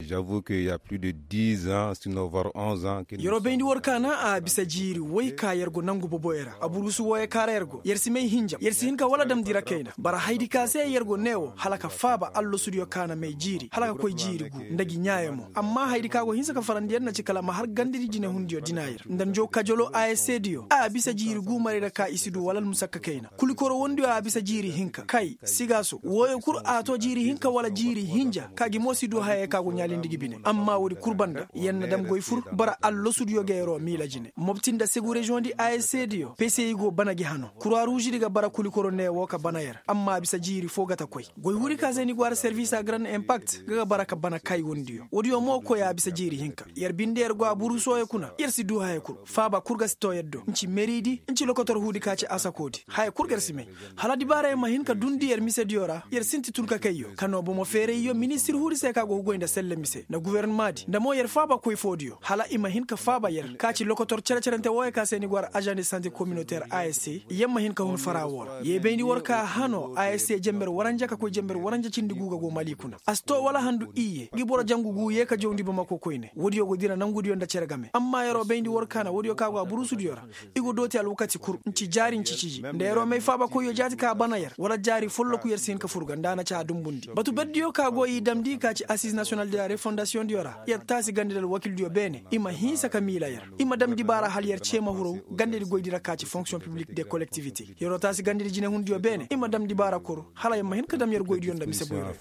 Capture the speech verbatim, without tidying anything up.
J'avoue que ya plus de dix ans, sinon var onze ans. Yer'o bayndi war ka na a bisa jiiri woy ka yer go nangu boboyo ra aburusu wooyo ka ra yer go yer si may hinjam yer si hin ka wala damndi ra kayna bara hayadi ka se yer go nee woo hala ka faaba allasudiyo ka na may jiiri hala ka koy jiiri guu nda gi ɲaaya mo. Amma hayadi ka go hinsa ka farandi yer na ci kala a ma har gandadi jinehundiyo dina yer nda njoo kajoloo a s c diyo a bisa jiiri guu maray ra ka i si duu wala almusakka kayna kulikoro wondiyo a bisa jiiri hinka kay sigaaso wooyo kul a too jiiri hinka wala jiiri hinja ka gi mo si duu hayey ka go ɲaalindi gi bine amma woodi kul banda yer na dam goy fur bara allasudiyo ga yer'o miila jine mopti nda segu reziyoŋdi a s c diyo peseyi go bana gi hanoo kurwa ruuzidi ga bara kulikoro nee woo ka bana yer amma a bisa jiiri foo ga ta koy goy huudi ka se ni go har serviisa garand impakt ga ga bara ka bana kay wondiyo woodiyo mo koy a bisa jiiri hinka yer binde yer go a burusoyo kuna yer si duu haya kul faaba kul ga si too yer do nci meridi nci lokotor huudi ka ci asakoodi haya kul ga yer si may hala dibaarayo ma hin ka dundi yer misediyo ra yer sinti tun ka kayyo ka noo bomo feerayyo ministir huudi se ka go ga goy nda selle mise nda guwernamaadi nda mo yer faaba koy foodiyo hala i ma hin ka faaba yer ka ci lokotor cere-cerente wooyo ka se ni go har ažan de sante kominoter a s c yer ma hin ka hun fara woo ra yer bayndi war ka hanoo a s c jenber waranja ka koy jenber waranja cindi guu ga go mali kuna a si too wala handu iyye ngi boro jangu guu yee ka jawndi bamako koyne woodiyo go dira nangudiyo nda cere game amma yer'o bayndi war ka na woodiyo ka go a burusudiyo ra i go dooti alwakati kul nci jaari nci ciji nda yer'o may faabakoyyo jaati ka bana yer wala jaari folloku yer si hin ka fur ga nda a na ci a dunbundi batu berdiyo ka go i damndi ka ci assize national de la refondasiyoŋdiyo ra yer taasi gandadi alwakildiyo beene i ma hinsa ka miila yer i ma dam dibaara hala yer cee ma huru gandadi goydi ra ka ci fonksiyoŋ piblik de kolektivite yer'o taasi gandadi jinehundiyo beene i ma dam dibaara kul hala yer ma hin ka dam yer goydiyo nda mise boyro.